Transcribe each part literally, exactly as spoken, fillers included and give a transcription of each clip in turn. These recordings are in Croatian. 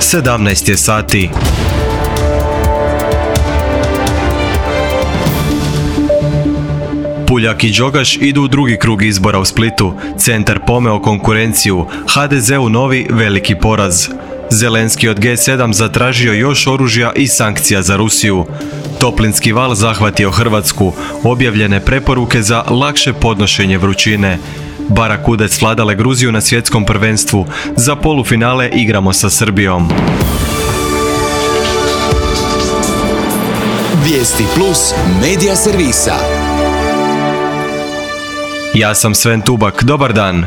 sedamnaest je sati. Puljak i Đogaš idu u drugi krug izbora u Splitu. Centar pomeo konkurenciju, ha de zeu novi veliki poraz. Zelenski od ge sedam zatražio još oružja i sankcija za Rusiju. Toplinski val zahvatio Hrvatsku, objavljene preporuke za lakše podnošenje vrućine. Barakudec vladale Gruziju na svjetskom prvenstvu, za polufinale igramo sa Srbijom. Vijesti plus medija servisa. Ja sam Sven Tubak, dobar dan.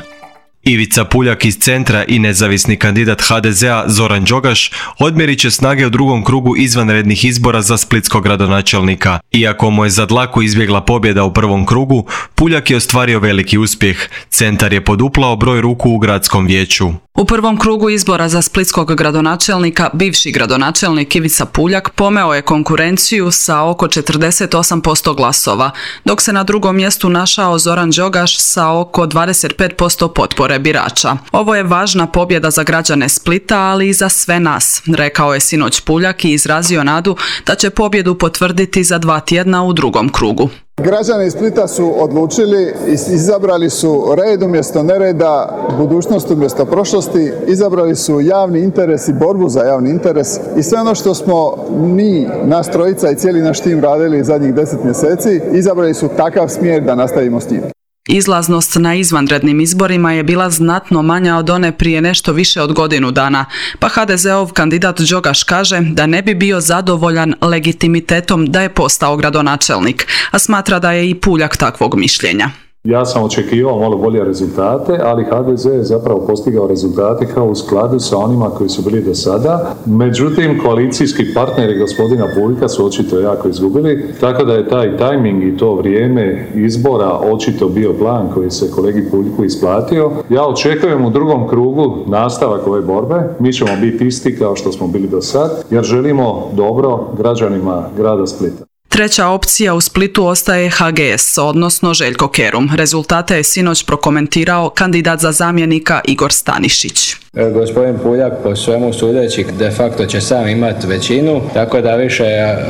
Ivica Puljak iz Centra i nezavisni kandidat ha de zea Zoran Đogaš odmjerit će snage u drugom krugu izvanrednih izbora za splitskog gradonačelnika. Iako mu je za dlaku izbjegla pobjeda u prvom krugu, Puljak je ostvario veliki uspjeh. Centar je poduplao broj ruku u gradskom vijeću. U prvom krugu izbora za splitskog gradonačelnika bivši gradonačelnik Ivica Puljak pomeo je konkurenciju sa oko četrdeset osam posto glasova, dok se na drugom mjestu našao Zoran Đogaš sa oko dvadeset pet posto potpore birača. Ovo je važna pobjeda za građane Splita, ali i za sve nas, rekao je sinoć Puljak i izrazio nadu da će pobjedu potvrditi za dva tjedna u drugom krugu. Građani Splita su odlučili, izabrali su red umjesto nereda, budućnost umjesto prošlosti, izabrali su javni interes i borbu za javni interes i sve ono što smo mi, nas trojica i cijeli naš tim radili zadnjih deset mjeseci, izabrali su takav smjer da nastavimo s tim. Izlaznost na izvanrednim izborima je bila znatno manja od one prije nešto više od godinu dana, pa ha de zeov kandidat Đogaš kaže da ne bi bio zadovoljan legitimitetom da je postao gradonačelnik, a smatra da je i Puljak takvog mišljenja. Ja sam očekivao malo bolje rezultate, ali ha de ze je zapravo postigao rezultate kao u skladu sa onima koji su bili do sada. Međutim, koalicijski partneri gospodina Puljka su očito jako izgubili, tako da je taj tajming i to vrijeme izbora očito bio plan koji se kolegi Puljku isplatio. Ja očekujem u drugom krugu nastavak ove borbe. Mi ćemo biti isti kao što smo bili do sad, jer želimo dobro građanima grada Splita. Treća opcija u Splitu ostaje ha ge es, odnosno Željko Kerum. Rezultate je sinoć prokomentirao kandidat za zamjenika Igor Stanišić. Gospodin Puljak po svemu sudeći de facto će sam imati većinu, tako da više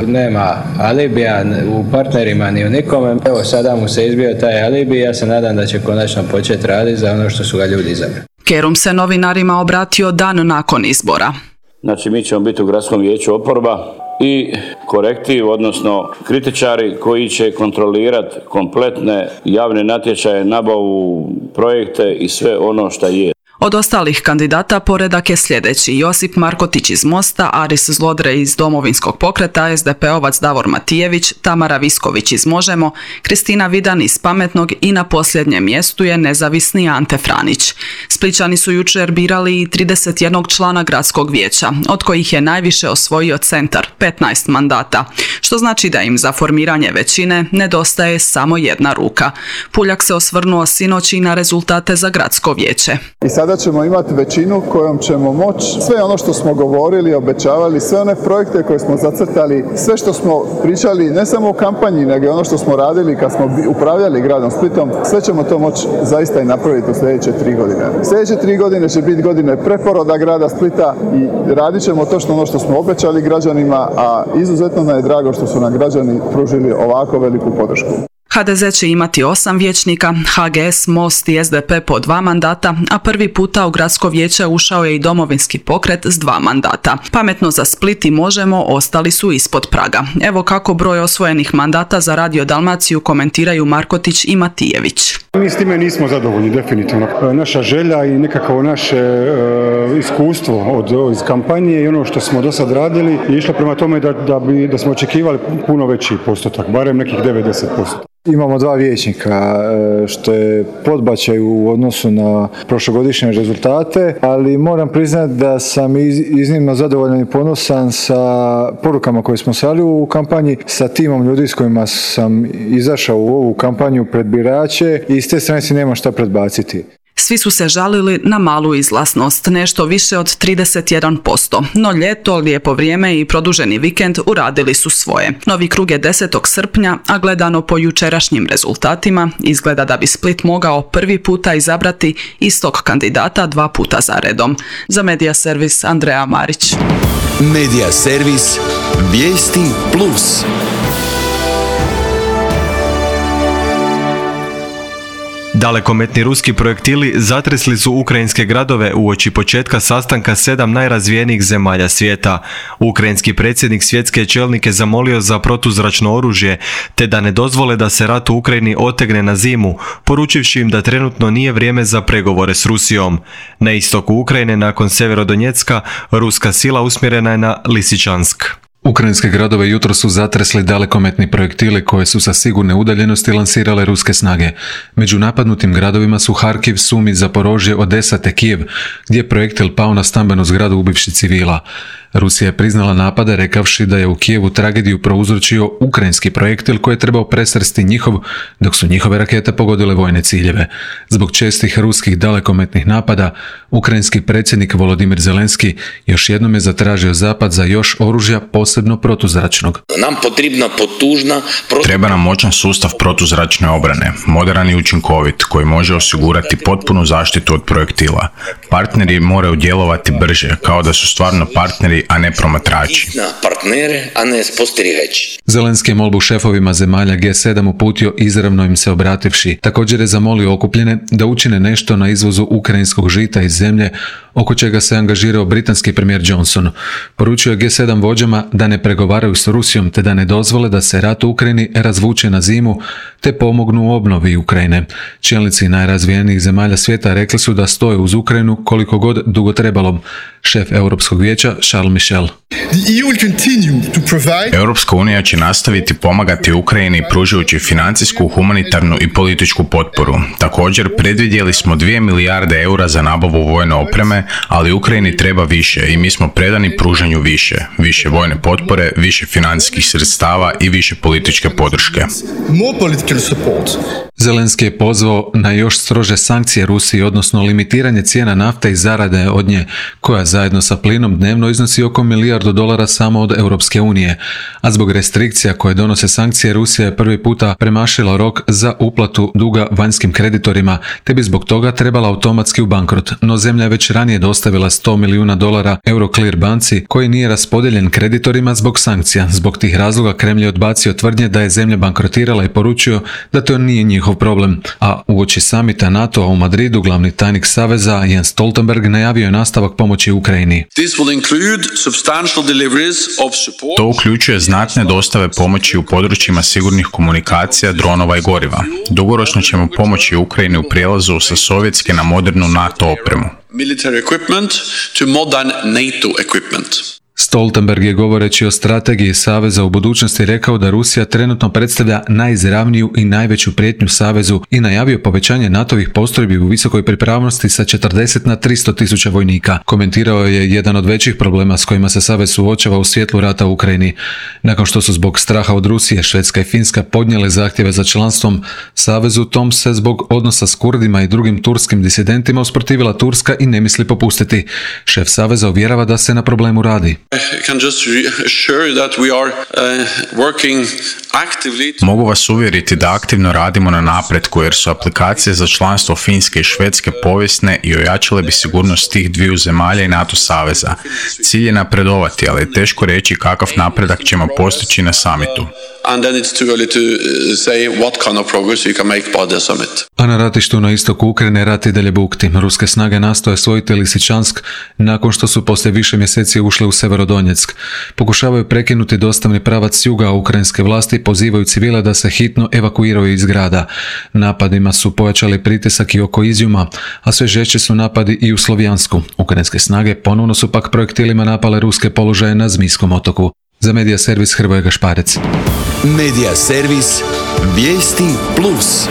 nema alibija u partnerima ni u nikome. Evo sada mu se izbio taj alibi i ja se nadam da će konačno početi raditi za ono što su ga ljudi izabrali. Kerum se novinarima obratio dan nakon izbora. Znači mi ćemo biti u gradskom vijeću oporba i korektiv, odnosno kritičari koji će kontrolirati kompletne javne natječaje, nabavu, projekte i sve ono što je. Od ostalih kandidata poredak je sljedeći: Josip Markotić iz Mosta, Aris Zlodre iz Domovinskog pokreta, es de pe ovac Davor Matijević, Tamara Visković iz Možemo, Kristina Vidan iz Pametnog i na posljednjem mjestu je nezavisni Ante Franić. Splićani su jučer birali i trideset jedan člana gradskog vijeća, od kojih je najviše osvojio Centar, petnaest mandata, što znači da im za formiranje većine nedostaje samo jedna ruka. Puljak se osvrnuo sinoć i na rezultate za gradsko vijeće. I sada ćemo imati većinu kojom ćemo moći sve ono što smo govorili, obećavali, sve one projekte koje smo zacrtali, sve što smo pričali ne samo u kampanji, nego ono što smo radili kad smo upravljali gradom Splitom, sve ćemo to moći zaista i napraviti u sljedeće tri godine. Sljedeće tri godine će biti godine preporoda grada Splita i radit ćemo točno ono što smo obećali građanima, a izuzetno nam je drago što su nam građani pružili ovako veliku podršku. ha de ze će imati osam vijećnika, ha ge es, Most i es de pe po dva mandata, a prvi puta u gradsko vijeće ušao je i Domovinski pokret s dva mandata. Pametno za Split i Možemo ostali su ispod praga. Evo kako broj osvojenih mandata za Radio Dalmaciju komentiraju Markotić i Matijević. Mi s time nismo zadovoljni, definitivno. Naša želja i nekako naše e, iskustvo od, iz kampanje i ono što smo do sad radili je išlo prema tome da, da, bi, da smo očekivali puno veći postotak, barem nekih devedeset posto. Imamo dva vijećnika, što je podbačaj u odnosu na prošlogodišnje rezultate, ali moram priznati da sam iznimno zadovoljan i ponosan sa porukama koje smo slali u kampanji, sa timom ljudi s kojima sam izašao u ovu kampanju pred birače i s te strane si nema šta predbaciti. Svi su se žalili na malu izlaznost, nešto više od trideset jedan posto, no ljeto, lijepo vrijeme i produženi vikend uradili su svoje. Novi krug je desetog srpnja, a gledano po jučerašnjim rezultatima, izgleda da bi Split mogao prvi puta izabrati istog kandidata dva puta za redom. Za Medija servis Andreja Marić. Medija servis Vijesti Plus. Dalekometni ruski projektili zatresli su ukrajinske gradove uoči početka sastanka sedam najrazvijenijih zemalja svijeta. Ukrajinski predsjednik svjetske čelnike zamolio za protuzračno oružje, te da ne dozvole da se rat u Ukrajini otegne na zimu, poručivši im da trenutno nije vrijeme za pregovore s Rusijom. Na istoku Ukrajine, nakon Severodonjecka, ruska sila usmjerena je na Lisičansk. Ukrajinske gradove jutro su zatresli dalekometni projektili koje su sa sigurne udaljenosti lansirale ruske snage. Među napadnutim gradovima su Harkiv, Sumi, Zaporožje, Odesa te Kijev, gdje je projektil pao na stambenu zgradu ubivši civila. Rusija je priznala napade rekavši da je u Kijevu tragediju prouzročio ukrajinski projektil koji je trebao presresti njihov, dok su njihove rakete pogodile vojne ciljeve. Zbog čestih ruskih dalekometnih napada, ukrajinski predsjednik Volodimir Zelenski još jednom je zatražio zapad za još oružja, posebno protuzračnog. Nam potrebna potužna protu... Treba nam moćan sustav protuzračne obrane, modern i učinkovit, koji može osigurati potpunu zaštitu od projektila. Partneri moraju djelovati brže, kao da su stvarno partneri, a ne promatrači. Partnere, a ne spostriveći. Zelenski je molbu šefovima zemalja G sedam uputio izravno im se obrativši. Također je zamolio okupljene da učine nešto na izvozu ukrajinskog žita iz zemlje, oko čega se angažirao britanski premijer Johnson. Poručio je G sedam vođama da ne pregovaraju s Rusijom te da ne dozvole da se rat u Ukrajini razvuče na zimu te pomognu u obnovi Ukrajine. Čelnici najrazvijenijih zemalja svijeta rekli su da stoje uz Ukrajinu koliko god dugo trebalo. Šef Europskog vijeća Charles Michel. Europska unija će nastaviti pomagati Ukrajini pružajući financijsku, humanitarnu i političku potporu. Također predvidjeli smo dvije milijarde eura za nabavu vojne opreme, ali Ukrajini treba više i mi smo predani pružanju više. Više vojne potpore, više financijskih sredstava i više političke podrške. Zelenski je pozvao na još strože sankcije Rusiji, odnosno limitiranje cijena nafte i zarade od nje, koja zajedno sa plinom dnevno iznosi oko milijardu dolara samo od Europske unije. A zbog restrikcija koje donose sankcije, Rusija je prvi puta premašila rok za uplatu duga vanjskim kreditorima, te bi zbog toga trebala automatski u bankrot. No zemlja je već ranije dostavila sto milijuna dolara Euroclear banci, koji nije raspodijeljen kreditorima zbog sankcija. Zbog tih razloga Kremlj je odbacio tvrdnje da je zemlja bankrotirala i poručio da to nije njihov problem. A uoči samita NATO-a u Madridu glavni tajnik Saveza Jens Stoltenberg najavio je nastavak pomoći Ukrajini. To uključuje znatne dostave pomoći u područjima sigurnih komunikacija, dronova i goriva. Dugoročno ćemo pomoći Ukrajini u prijelazu sa sovjetske na modernu NATO opremu. Stoltenberg je govoreći o strategiji Saveza u budućnosti rekao da Rusija trenutno predstavlja najizravniju i najveću prijetnju Savezu i najavio povećanje NATO-vih postrojbi u visokoj pripravnosti sa četrdeset na tristo tisuća vojnika. Komentirao je jedan od većih problema s kojima se Savez suočava u svjetlu rata u Ukrajini. Nakon što su zbog straha od Rusije, Švedska i Finska podnijele zahtjeve za članstvom Savezu, tom se zbog odnosa s Kurdima i drugim turskim disidentima usprotivila Turska i ne misli popustiti. Šef Saveza uvjerava da se na problemu radi. Mogu vas uvjeriti da aktivno radimo na napretku jer su aplikacije za članstvo Finske i Švedske povijesne i ojačale bi sigurnost tih dviju zemalja i NATO saveza. Cilj je napredovati, ali je teško reći kakav napredak ćemo postići na samitu. A na ratištu na istoku Ukrajine rat i dalje bukti. Ruske snage nastoje osvojiti Lisičansk nakon što su poslije više mjeseci ušle u Severodonjeck. Pokušavaju prekinuti dostavni pravac s juga, a ukrajinske vlasti pozivaju civile da se hitno evakuiraju iz grada. Napadima su pojačali pritisak i oko Izjuma, a sve žešći su napadi i u Slovjansku. Ukrajinske snage ponovno su pak projektilima napale ruske položaje na Zmijskom otoku. Za Medija servis Hrvoje Gašparec. Medija servis Vijesti Plus.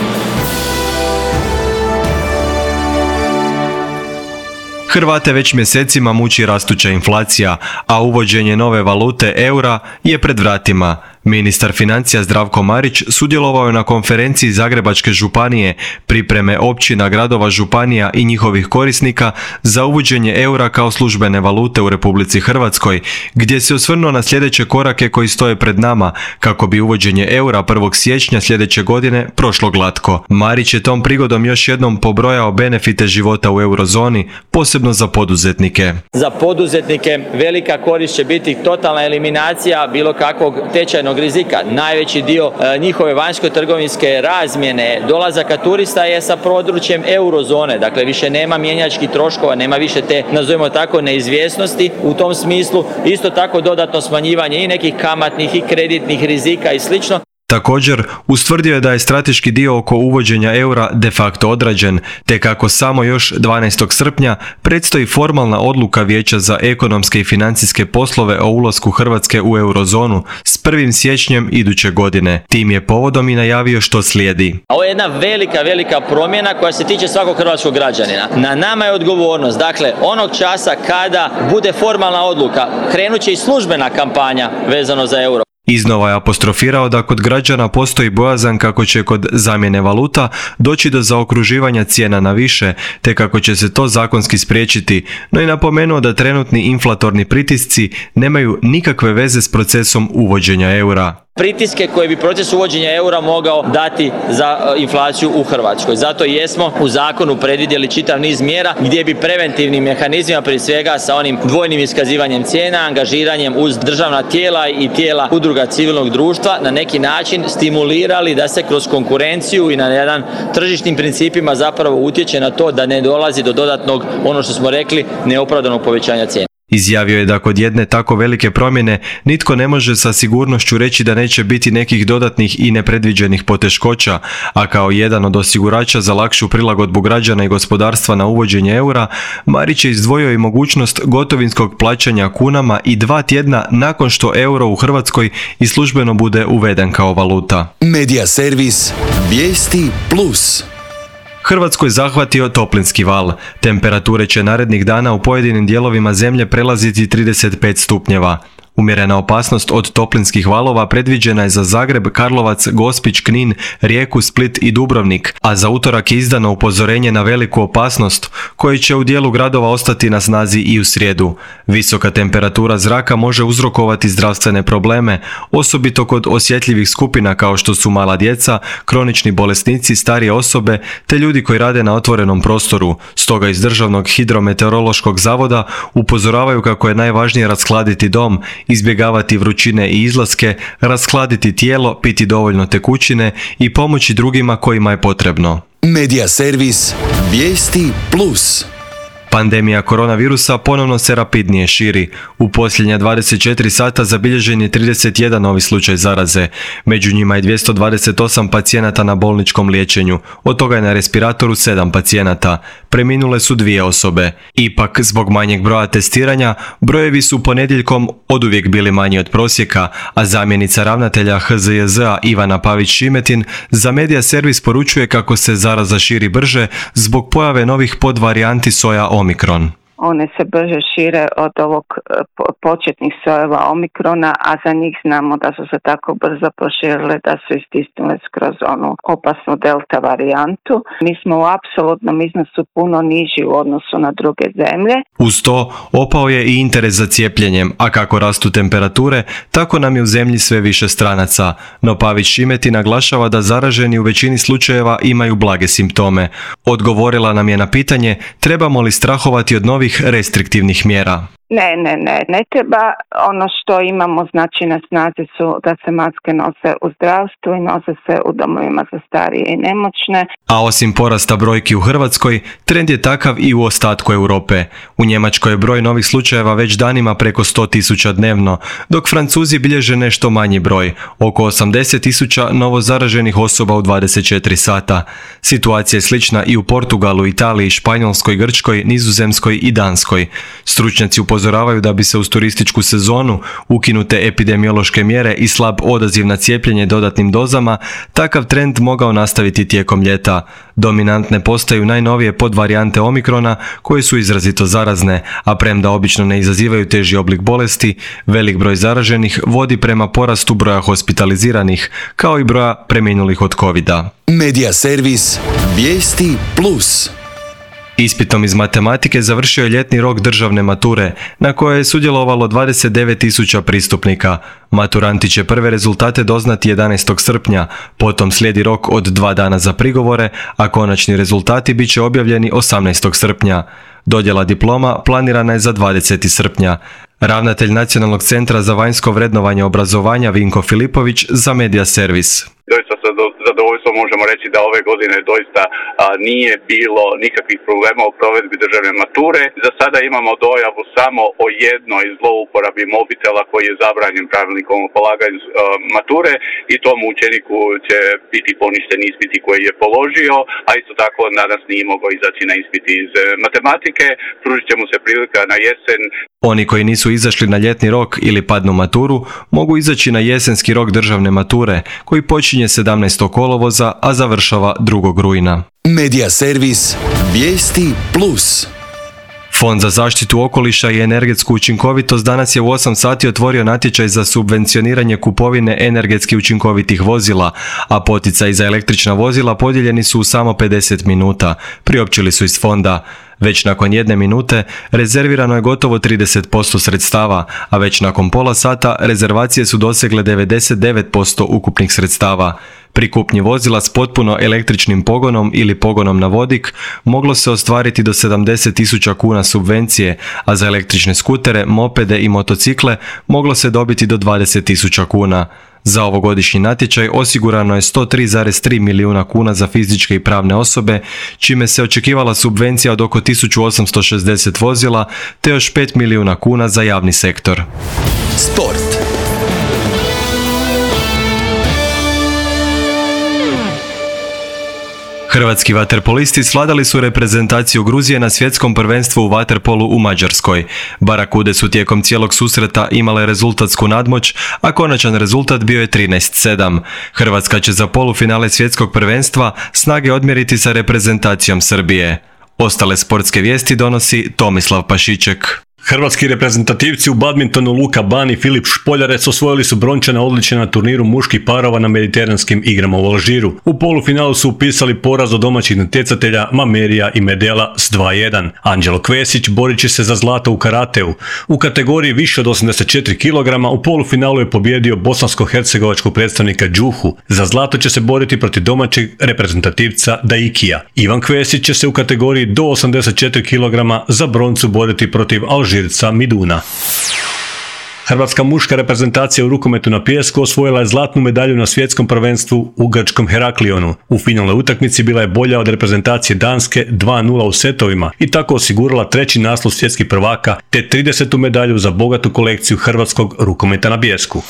Hrvate već mjesecima muči rastuća inflacija, a uvođenje nove valute eura je pred vratima. Ministar financija Zdravko Marić sudjelovao je na konferenciji Zagrebačke županije, pripreme općina, gradova, županija i njihovih korisnika za uvođenje eura kao službene valute u Republici Hrvatskoj, gdje se osvrnuo na sljedeće korake koji stoje pred nama kako bi uvođenje eura prvog siječnja sljedeće godine prošlo glatko. Marić je tom prigodom još jednom pobrojao benefite života u eurozoni, posebno za poduzetnike. Za poduzetnike velika korist će biti totalna eliminacija bilo kakvog tečajnog rizika. Najveći dio e, njihove vanjsko-trgovinske razmjene, dolazaka turista je sa područjem eurozone. Dakle, više nema mjenjačkih troškova, nema više te, nazovimo tako, neizvjesnosti. U tom smislu isto tako dodatno smanjivanje i nekih kamatnih i kreditnih rizika i slično. Također, ustvrdio je da je strateški dio oko uvođenja eura de facto odrađen, te kako samo još dvanaestog srpnja predstoji formalna odluka Vijeća za ekonomske i financijske poslove o ulasku Hrvatske u eurozonu s prvim siječnjem iduće godine. Tim je povodom i najavio što slijedi. Ovo je jedna velika, velika promjena koja se tiče svakog hrvatskog građanina. Na nama je odgovornost, dakle, onog časa kada bude formalna odluka, krenut će i službena kampanja vezano za euro. Iznova je apostrofirao da kod građana postoji bojazan kako će kod zamjene valuta doći do zaokruživanja cijena na više, te kako će se to zakonski spriječiti, no i napomenuo da trenutni inflatorni pritisci nemaju nikakve veze s procesom uvođenja eura. Pritiske koje bi proces uvođenja eura mogao dati za inflaciju u Hrvatskoj. Zato jesmo u zakonu predvidjeli čitav niz mjera gdje bi preventivnim mehanizmima, prije svega sa onim dvojnim iskazivanjem cijena, angažiranjem uz državna tijela i tijela udruga civilnog društva na neki način stimulirali da se kroz konkurenciju i na jedan tržišnim principima zapravo utječe na to da ne dolazi do dodatnog, ono što smo rekli, neopravdanog povećanja cijena. Izjavio je da kod jedne tako velike promjene nitko ne može sa sigurnošću reći da neće biti nekih dodatnih i nepredviđenih poteškoća, a kao jedan od osigurača za lakšu prilagodbu građana i gospodarstva na uvođenje eura, Marić je izdvojio i mogućnost gotovinskog plaćanja kunama i dva tjedna nakon što euro u Hrvatskoj i službeno bude uveden kao valuta. Medija servis Vijesti plus. Hrvatskoj zahvatio toplinski val. Temperature će narednih dana u pojedinim dijelovima zemlje prelaziti trideset pet stupnjeva. Umjerena opasnost od toplinskih valova predviđena je za Zagreb, Karlovac, Gospić, Knin, Rijeku, Split i Dubrovnik, a za utorak je izdano upozorenje na veliku opasnost, koji će u dijelu gradova ostati na snazi i u srijedu. Visoka temperatura zraka može uzrokovati zdravstvene probleme, osobito kod osjetljivih skupina kao što su mala djeca, kronični bolesnici, starije osobe te ljudi koji rade na otvorenom prostoru. Stoga iz Državnog hidrometeorološkog zavoda upozoravaju kako je najvažnije rashladiti dom, izbjegavati vrućine i izlaske, rashladiti tijelo, piti dovoljno tekućine i pomoći drugima kojima je potrebno. Medija servis Vijesti plus. Pandemija koronavirusa ponovno se rapidnije širi. U posljednja dvadeset četiri sata zabilježen je trideset jedan novi slučaj zaraze. Među njima je dvjesto dvadeset osam pacijenata na bolničkom liječenju. Od toga je na respiratoru sedam pacijenata. Preminule su dvije osobe. Ipak, zbog manjeg broja testiranja, brojevi su ponedjeljkom oduvijek bili manji od prosjeka, a zamjenica ravnatelja H Z J Z-a Ivana Pavić-Šimetin za Medija servis poručuje kako se zaraza širi brže zbog pojave novih podvarijanti soja Omikron. One se brže šire od ovog početnih sojeva Omikrona, a za njih znamo da su se tako brzo proširile da su istisnule skroz onu opasnu delta varijantu. Mi smo u apsolutnom iznosu puno niži u odnosu na druge zemlje. Uz to, opao je i interes za cijepljenjem, a kako rastu temperature, tako nam je u zemlji sve više stranaca. No Pavić-Šimeti naglašava da zaraženi u većini slučajeva imaju blage simptome. Odgovorila nam je na pitanje trebamo li strahovati od novih restriktivnih mjera. Ne, ne, ne, ne treba. Ono što imamo znači na snazi su da se maske nose u zdravstvu i nose se u domovima za starije i nemoćne. A osim porasta brojki u Hrvatskoj, trend je takav i u ostatku Europe. U Njemačkoj je broj novih slučajeva već danima preko sto tisuća dnevno, dok Francuzi bilježe nešto manji broj, oko osamdeset tisuća novo zaraženih osoba u dvadeset četiri sata. Situacija je slična i u Portugalu, Italiji, Španjolskoj, Grčkoj, Nizozemskoj i Danskoj. Stručnjaci u upozoravaju da bi se uz turističku sezonu, ukinute epidemiološke mjere i slab odaziv na cijepljenje dodatnim dozama, takav trend mogao nastaviti tijekom ljeta. Dominantne postaju najnovije podvarijante Omikrona koje su izrazito zarazne, a premda obično ne izazivaju teži oblik bolesti, velik broj zaraženih vodi prema porastu broja hospitaliziranih, kao i broja preminulih od covida. Medija servis Vijesti plus. Ispitom iz matematike završio je ljetni rok državne mature, na kojoj je sudjelovalo dvadeset devet tisuća pristupnika. Maturanti će prve rezultate doznati jedanaestog srpnja, potom slijedi rok od dva dana za prigovore, a konačni rezultati bit će objavljeni osamnaestog srpnja. Dodjela diploma planirana je za dvadeseti srpnja. Ravnatelj Nacionalnog centra za vanjsko vrednovanje obrazovanja Vinko Filipović za Medija servis. Doista sa zadovoljstvom možemo reći da ove godine doista a, nije bilo nikakvih problema u provedbi državne mature. Za sada imamo dojavu samo o jednoj zlouporabi mobitela koji je zabranjen pravilnikom o polaganju a, mature i tom učeniku će biti poništen ispiti koji je položio, a isto tako danas nije mogao izaći na ispit iz e, matematike. Pružit će mu se prilika na jesen. Oni koji nisu izašli na ljetni rok ili padnu maturu, mogu izaći na jesenski rok državne mature, koji počinje sedamnaestog kolovoza, a završava drugog rujna. Medija servis Vijesti plus. Fond za zaštitu okoliša i energetsku učinkovitost danas je u osam sati otvorio natječaj za subvencioniranje kupovine energetski učinkovitih vozila, a poticaji za električna vozila podijeljeni su u samo pedeset minuta, priopćili su iz fonda. Već nakon jedne minute rezervirano je gotovo trideset posto sredstava, a već nakon pola sata rezervacije su dosegle devedeset devet posto ukupnih sredstava. Pri kupnji vozila s potpuno električnim pogonom ili pogonom na vodik moglo se ostvariti do sedamdeset tisuća kuna subvencije, a za električne skutere, mopede i motocikle moglo se dobiti do dvadeset tisuća kuna. Za ovogodišnji natječaj osigurano je sto tri zarez tri milijuna kuna za fizičke i pravne osobe, čime se očekivala subvencija od oko tisuću osamsto šezdeset vozila, te još pet milijuna kuna za javni sektor. Sport. Hrvatski vaterpolisti svladali su reprezentaciju Gruzije na svjetskom prvenstvu u vaterpolu u Mađarskoj. Barakude su tijekom cijelog susreta imale rezultatsku nadmoć, a konačan rezultat bio je trinaest sedam. Hrvatska će za polufinale svjetskog prvenstva snage odmjeriti sa reprezentacijom Srbije. Ostale sportske vijesti donosi Tomislav Pašiček. Hrvatski reprezentativci u badmintonu Luka Ban i Filip Špoljarec osvojili su brončane odličje na turniru muških parova na mediteranskim igrama u Alžiru. U polufinalu su upisali poraz od domaćih natjecatelja Mamerija i Medela s dva jedan. Anđelo Kvesić borit će se za zlato u karateu. U kategoriji više od osamdeset četiri kilograma u polufinalu je pobjedio bosansko-hercegovačkog predstavnika Đuhu. Za zlato će se boriti protiv domaćeg reprezentativca Daikija. Ivan Kvesić će se u kategoriji do osamdeset četiri kilograma za broncu boriti protiv Alžira Žirca Miduna. Hrvatska muška reprezentacija u rukometu na pijesku osvojila je zlatnu medalju na svjetskom prvenstvu u grčkom Heraklionu. U finalnoj utakmici bila je bolja od reprezentacije Danske dva nula u setovima i tako osigurala treći naslov svjetskih prvaka te tridesetu medalju za bogatu kolekciju hrvatskog rukometa na pijesku.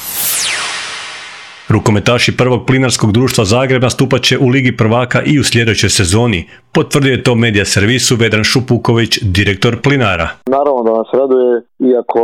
Rukometaši prvog plinarskog društva Zagreb nastupat će u Ligi prvaka i u sljedećoj sezoni. Potvrdio je to Medija servisu Vedran Šupuković, direktor Plinara. Naravno da nas raduje, iako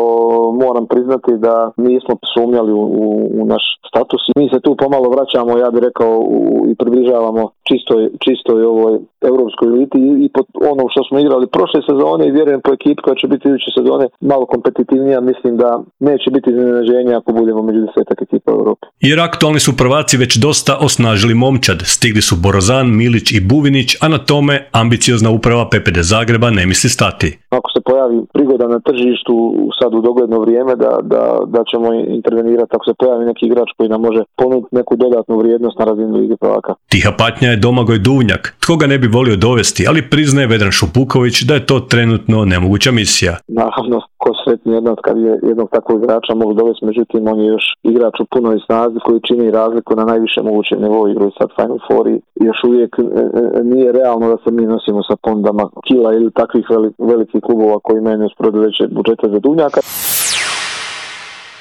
moram priznati da nismo sumnjali u, u, u naš status. Mi se tu pomalo vraćamo, ja bih rekao, u, i približavamo čistoj, čistoj ovoj europskoj eliti i, i po ono što smo igrali prošle sezone i vjerujem po ekipi koja će biti iduće sezone malo kompetitivnija, mislim da neće biti iznenađenja ako budemo među desetak ekipa u Europi. Jer aktualni su prvaci već dosta osnažili momčad. Stigli su Borozan, Milić i Buvinić, a na tome ambiciozna uprava P P D Zagreba ne misli stati. Ako se pojavi prigoda na tržištu sad u dogledno vrijeme da, da, da ćemo intervenirati, ako se pojavi neki igrač koji nam može ponuditi neku dodatnu vrijednost na razini Lige prvaka. Tiha patnja je Domagoj Duvnjak. Tko ga ne bi volio dovesti, ali priznaje Vedran Šupuković da je to trenutno nemoguća misija. Naravno, ko sretni jednog kad je jednog takvog igrača mogu dovesti, međutim on je još igrač u punoj snazi koji čini razliku na najviše mogućem nivou, igraju sad Final Four i još uvijek e, e, nije realno da se mi nosimo sa pondama Kila ili takvih velikih klubova koji imaju usporedo veće budžete za Duvnjaka.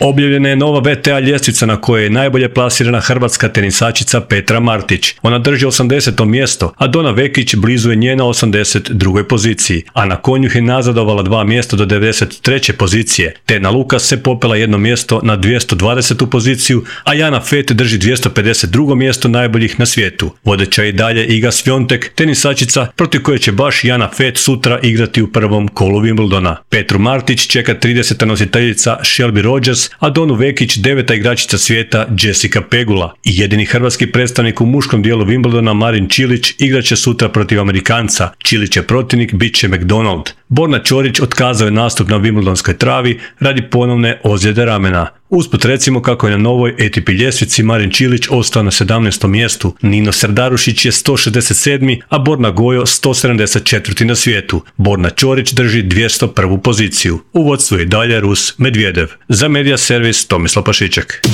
Objavljena je nova V T A ljestvica na kojoj je najbolje plasirana hrvatska tenisačica Petra Martić. Ona drži osamdeseto mjesto, a Dona Vekić blizu je nje na osamdeset drugoj poziciji, a na konju je nazadovala dva mjesta do devedeset treće pozicije. Tena Lukas se popela jedno mjesto na dvjesto dvadesetu poziciju, a Jana Fett drži dvjesto pedeset drugo mjesto najboljih na svijetu. Vodeća je i dalje Iga Swiatek, tenisačica protiv koje će baš Jana Fett sutra igrati u prvom kolu Wimbledona. Petru Martić čeka trideseta nositeljica Shelby Rogers, a Donu Vekić deveta igračica svijeta Jessica Pegula. I jedini hrvatski predstavnik u muškom dijelu Wimbledona Marin Čilić igraće sutra protiv Amerikanca. Čilićev protivnik bit će McDonald. Borna Ćorić otkazao je nastup na Wimbledonskoj travi radi ponovne ozljede ramena. Usput recimo kako je na novoj A T P ljestvici Marin Čilić ostao na sedamnaestom mjestu, Nino Serdarušić je sto šezdeset sedmi, a Borna Gojo sto sedamdeset četvrti na svijetu. Borna Ćorić drži dvjesto prvu poziciju. U vodstvu je dalje Rus Medvjedev. Za Media Servis Tomislav Pašiček.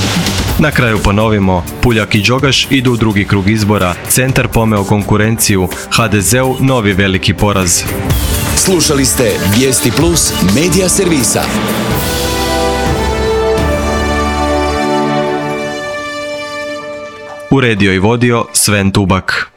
Na kraju ponovimo, Puljak i Đogaš idu u drugi krug izbora, Centar pomeo konkurenciju, H D Z-u novi veliki poraz. Slušali ste Vijesti Plus Media Servisa. Uredio i vodio Sven Tubak.